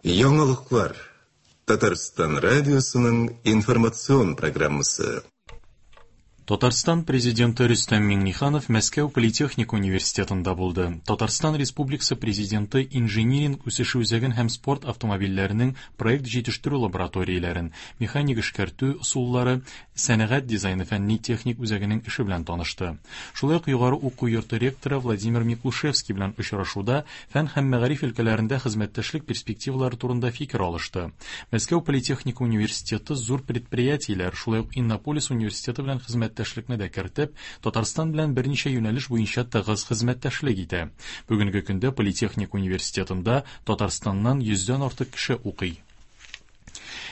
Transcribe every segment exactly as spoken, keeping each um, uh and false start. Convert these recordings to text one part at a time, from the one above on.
Яңалыклар. Татарстан радиосының информацион программасы. Татарстан президенты Рөстәм Миңнеханов Мәскәү политехник университетында булды. Татарстан Республикасы президенты инжиниринг үсеше үзәген һәм спорт автомобильләренең проект җитештерү лабораторияләрен, механик эшкәртү ысуллары, сәнәгать дизайны фәнни-техник үзәгенең эше белән танышты. Шулай ук югары уку йорты ректоры Владимир Миклушевский белән очрашуда фән һәм мәгариф өлкәләрендә хезмәттәшлек перспективалары турында фикер алышты. Мәскәү политехник университеты зур предприятиеләр, шулай ук Иннополис университеты белән хезмәттәшлекне дә кертеп, Татарстан белән берничә юнәлеш буенча тыгыз хезмәттәшлек итә. Бүгенге көндә Политехник университетында Татарстаннан йөздән артык кеше укый.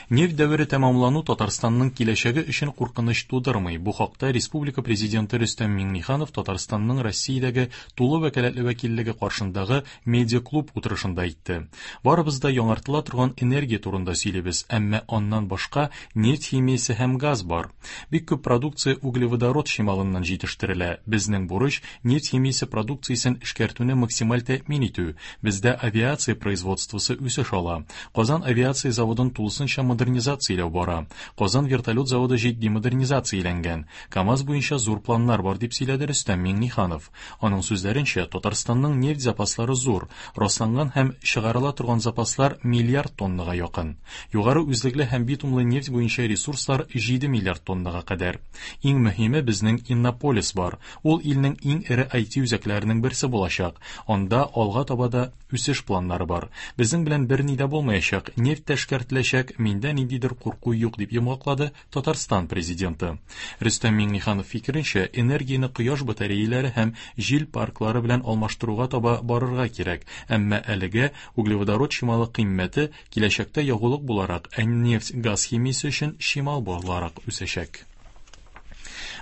Нефть дәвере тәмамлану Татарстанның киләчәге өчен куркыныч тудырмый. Бу хакта Республика президенты Рөстәм Миңнеханов Татарстанның Россиядәге тулы вәкаләтле вәкиллеге каршындагы медиа-клуб утырышында әйтте. Барыбыз да яңартыла торган энергия турында сөйлибез, әмма аннан башка нефть химиясе һәм газ бар. Бик күп продукция углеводород чималыннан җитештерелә. Безнең бурыч нефть химиясе продукциясен эшкәртүне максималь тәэмин итү. Бездә авиация производствосы үсеш ала. Казан авиация заводын тулысынча модернизацияләү бара. Казан вертолет заводы җитди модернизацияләнгән. КАМАЗ буенча зур планнар бар, дип сөйләде Рөстәм Миңнеханов. Аның сүзләренчә, Татарстанның нефть запаслары зур, расланган һәм чыгарыла торган запаслар миллиард тоннага якын. Югары үзлекле һәм битумлы нефть буенча ресурслар җиде миллиард тоннага кадәр. Иң мөһиме, безнең Иннополис бар. Ул илнең иң эре ай ти үзәкләренең берсе булачак. Анда алга таба да үсеш планнары бар. Безнең белән берни дә булмаячак, нефть тә эшкәртеләчәк, миндә ниндидер курку юк, дип йомгаклады Татарстан президенты. Рөстәм Миңнеханов фикеренчә, энергияне кояш батареялары һәм җил парклары белән алмаштыруга таба барырга кирәк, әмма әлегә углеводород чималы кыйммәте киләчәктә ягулык буларак, ә нефть газ химиясе өчен чимал буларак үсәчәк.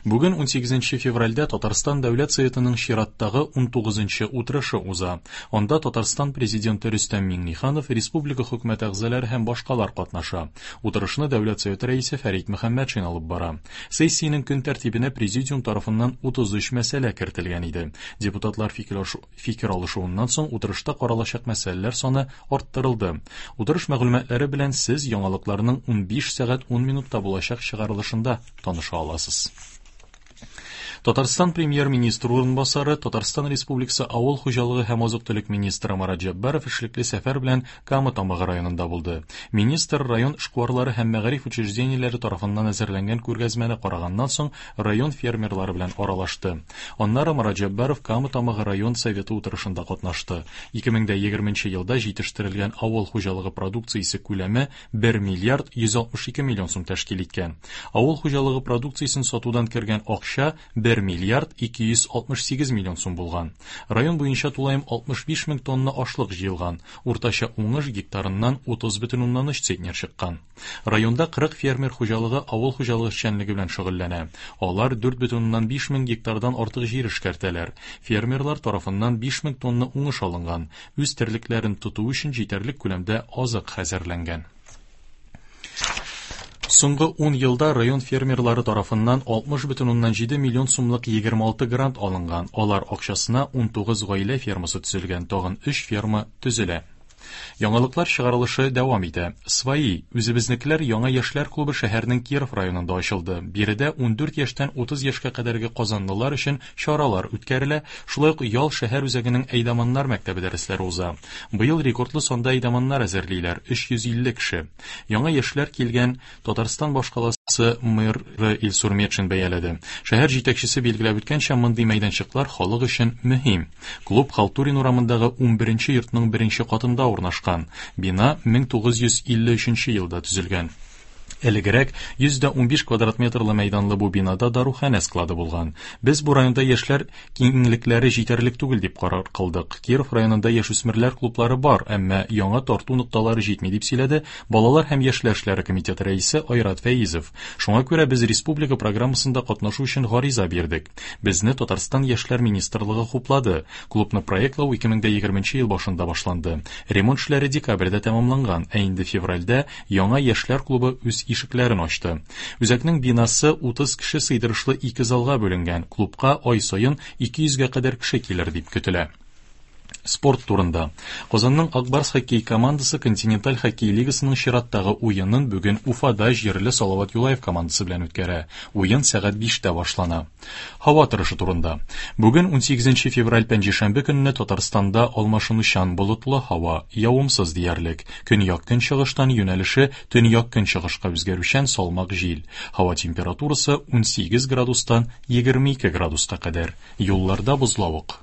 Бүген унсигезенче февральдә Татарстан Дәүләт Советының чираттагы унтугызынчы утырышы уза. Анда Татарстан президенты Рөстәм Миңнеханов, республика хөкүмәте әгъзалары һәм башкалар катнаша. Утырышны Дәүләт Советы рәисе Фәрит Мөхәммәтшин алып бара. Сессиянең көн тәртибенә президиум тарафыннан утыз өч мәсьәлә кертелгән иде. Депутатлар фикер алышу, фикер алышуыннан соң утырышта каралачак мәсьәләләр саны арттырылды. Утырыш мәгълүматлары белән сез яңалыкларның унбиш сәгать ун минутта булачак чыгарылышында таныша аласыз. Татарстан премьер-министры урынбасары, Татарстан Республикасы Авыл хуҗалыгы һәм азык-төлек министры Марат Җәббаров эшлекле сәфәр белән Кама Тамагы районында булды. Министр район эшкуарлары һәм мәгариф учреждениеләре тарафыннан әзерләнгән күргәзмәне караганнан соң район фермерлары белән аралашты. Аннары Марат Җәббаров Кама Тамагы район советы утырышында катнашты. Ике мең дә егерменче елда җитештерелгән авыл хуҗалыгы продукциясе күләме бер миллиард йөз алтмыш ике миллион сум тәшкил иткән. Авыл хуҗалыгы продукциясен сатудан кергән акча бер миллиард ике йөз алтмыш сигез миллион сум булган. Район буенча тулаем алтмыш биш мең тонна ашлык җыелган. Уртача уңыш гектарыннан утыз бөтен уннан өч центнер чыккан. Районда кырык фермер хуҗалыгы авыл хуҗалыгы эшчәнлеге белән шөгыльләнә. Алар дүрт бөтен уннан биш мең гектардан артык җир эшкәртәләр. Фермерлар тарафыннан биш мең тонна уңыш алынган. Үз терлекләрен тоту өчен җитәрлек күләмдә азык хәзерләнгән. Соңгы ун елда район фермерлары тарафыннан алтмыш бөтен уннан җиде миллион сумлык егерме алты грант алынган. Алар акчасына унтугыз гаилә фермасы төзелгән, тагын өч ферма төзелә. Яңалыклар чыгарылышы дәвам итә. Свои, үзебезнекеләр яңа яшьләр клубы шәһәрнең Киров районында ачылды. Биредә ундүрт яшьтән утыз яшькә кадәрге казанлылар өчен чаралар үткәрелә. Шулай ук Ял шәһәр үзәгенең әйдаманнар мәктәбе дәресләре уза. Быел рекордлы санда әйдаманнар әзерлиләр, өч йөз илле кеше. Яңа яшьләр килгән Татарстан башкаласы мэры Илсур Метшин бәяләде. Шәһәр җитәкчесе билгеләп үткәнчә, мондый мәйданчыклар халык өчен мөһим. Клуб Халтурин урамындагы унберенче йортның беренче катында урнашкан. Бина мең тугыз йөз илле өченче елда төзелгән. Элегрәк йөз дә унбиш квадрат метрлы мәйданлы бу бинада даруханә склады булган. Без бу районда яшьләр киңлекләре җитәрлек түгел дип карар кылдык. Киров районында яшүсмерләр клублары бар, әмма яңа тарту нокталары җитми дип сөйләде Балалар һәм яшьләр эшләре комитеты рәисе Айрат Фәизов. Шуңа күрә без республика программасында катнашу өчен гариза бирдек. Безне Татарстан яшьләр министрлыгы хуплады. Клубны проектлау ике мең дә егерменче ел башында башланды. Ремонт эшләре декабрьдә тәмамланган, ә инде февральдә яңа яшьләр клубы үз ишекләрен ачты. Үзәкнең бинасы утыз кеше сыйдырышлы ике залга бүленгән. Клубка ай саен ике йөзгә кадәр кеше килер дип көтелә. Спорт турында. Казанның Ак Барс хоккей командасы Континенталь хоккей лигасының чираттагы уенын бүген Уфада җирле Салават Юлаев командасы белән үткәрә. Уен сәгать биштә башлана. Һава торышы турында. Бүген унсигезенче февраль пәнҗешәмбе көнне Татарстанда алмашынучан болытлы һава, явымсыз диярлек. Көньяк-көнчыгыштан юнәлеше төньяк-көнчыгышка үзгәрүчән салмак җил. Һава температурасы унсигез градустан егерме ике градуска кадәр. Юлларда бозлавык.